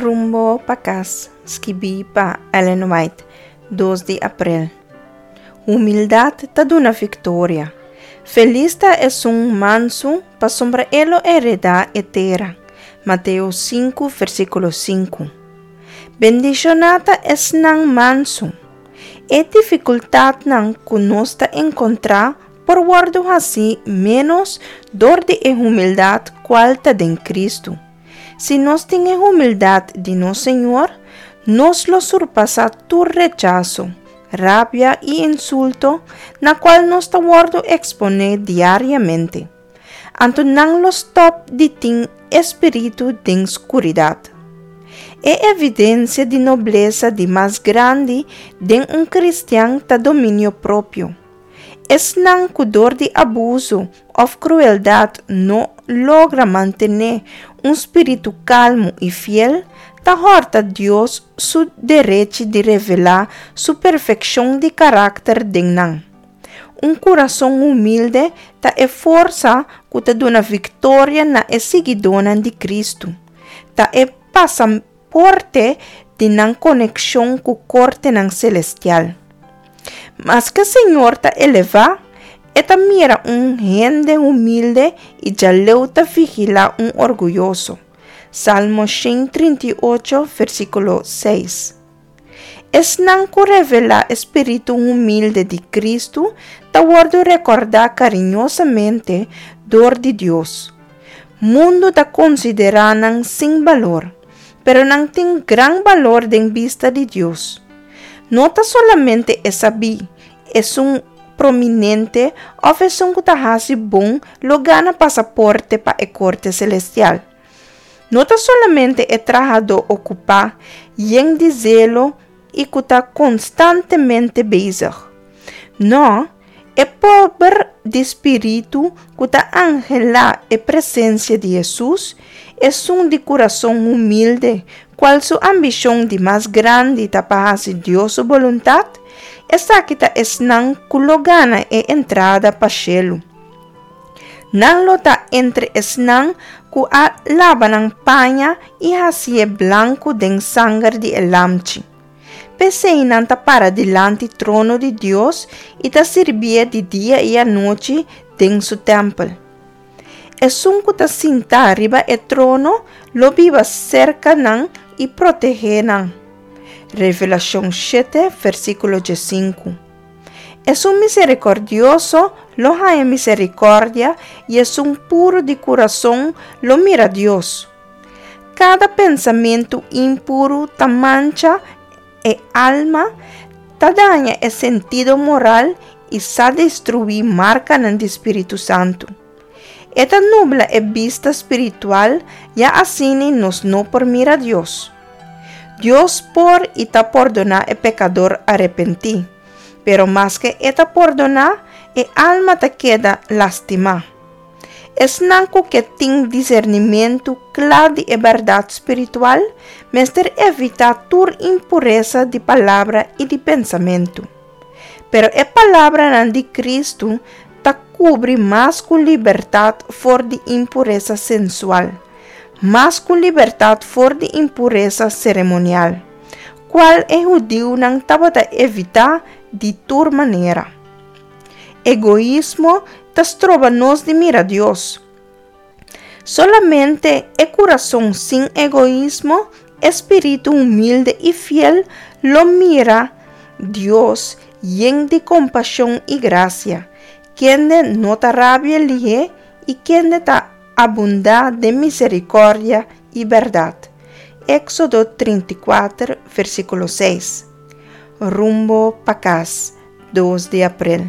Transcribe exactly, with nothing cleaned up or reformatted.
Rumbo pa kas, skibí pa Ellen White, dos di aprel. Humildat ta duna viktoria. Felis ta esun mansu, pasobra e lo heredá e tera. Mateo sinku, versíkulo sinku. Bendishoná ta esnan mansu. E difikultatnan ku nos ta enkontrá por wòrdu hasí ménos dor di e humildat kual ta den Kristu. Si nos tin e humildat di nos Señor, nos lo surpasá tur rechaso, rabia i insulto na kual nos ta wòrdu eksponé diariamente. Anto nan lo stòp di tin espíritu den skuridat. E evidensia di noblesa di mas grandi den un kristian ta dominio propio. Esnan ku dor di abuso òf krueldat no logra mantené un spiritu kalmu i fiel, ta hòrta Dios su derechi di revelá su perfekshon di karakter den nan. Un kurason humilde ta e forsa ku ta duna viktoria na e siguidónan di Kristu. Ta e pasaporte di nan konekshon ku kortenan selestial. Maske Señor ta elevá, e ta mira un hende humilde i djaleu ta vigilá un orguyoso. Salmo shen trinta i ocho, versíkulo seis. Esnan ku revelá e spiritu humilde di Kristu ta wòrdu rekordá kariñosamente dor di Dios. Mundu ta konsiderá nan sin balor, pero nan tin gran balor den bista di Dios. No ta solamente e sabí, esun prominente òf esun ku ta hasi bon lo gana pasaporte pa e korte selestial. No ta solamente e trahadó okupá, yen di zelo i ku ta konstantemente bezig. No, e pober di spiritu ku ta anhelá e presensia di Hesus, esun di kurason humilde, kual su ambishon di mas grandi ta pa hasi Dios su boluntat, esaki ta esnan ku lo gana e entrada pa shelu. Nan lo ta entre esnan ku a laba nan paña i hasié blanku den sanger di e Lamchi. P'esei nan ta para dilanti trono di Dios i ta sirbié di dia i anochi den su tèmpel. Esun ku ta sintá riba e trono lo biba serka nan i protegé nan. Revelashon shete, versíkulo diesinku. Esun miserikòrdioso lo haña miserikòrdia i esun puru di kurason lo mira Dios. Kada pensamentu impuru ta mancha e alma, ta daña e sentido moral i sa destruí markanan di Spiritu Santu. E ta nubla e bista spiritual, ya asina nos no por mira Dios. Dios por i ta pordoná e pekador arepentí, pero maske e ta pordoná, e alma ta keda lastimá. Esnan ku ke tin disernimentu kla di e bèrdat spiritual mester evitá tur impuresa di palabra i di pensamentu. Pero e palabranan di Kristu ta kubri mas ku libertat for di impuresa sensual, mas ku libertat for di impuresa seremonial, kual e hudiunan tabata evitá di tur manera. Egoismo ta stroba nos di mira Dios. Solamente e kurason sin egoismo, e spiritu humilde i fiel lo mira Dios yen di kompashon i grasia, kende no ta rabia lihé i kende ta abundá den miserikòrdia i bèrdat. Éksodo trinta i kuater, versíkulo seis. Rumbo pa kas, dos di aprel.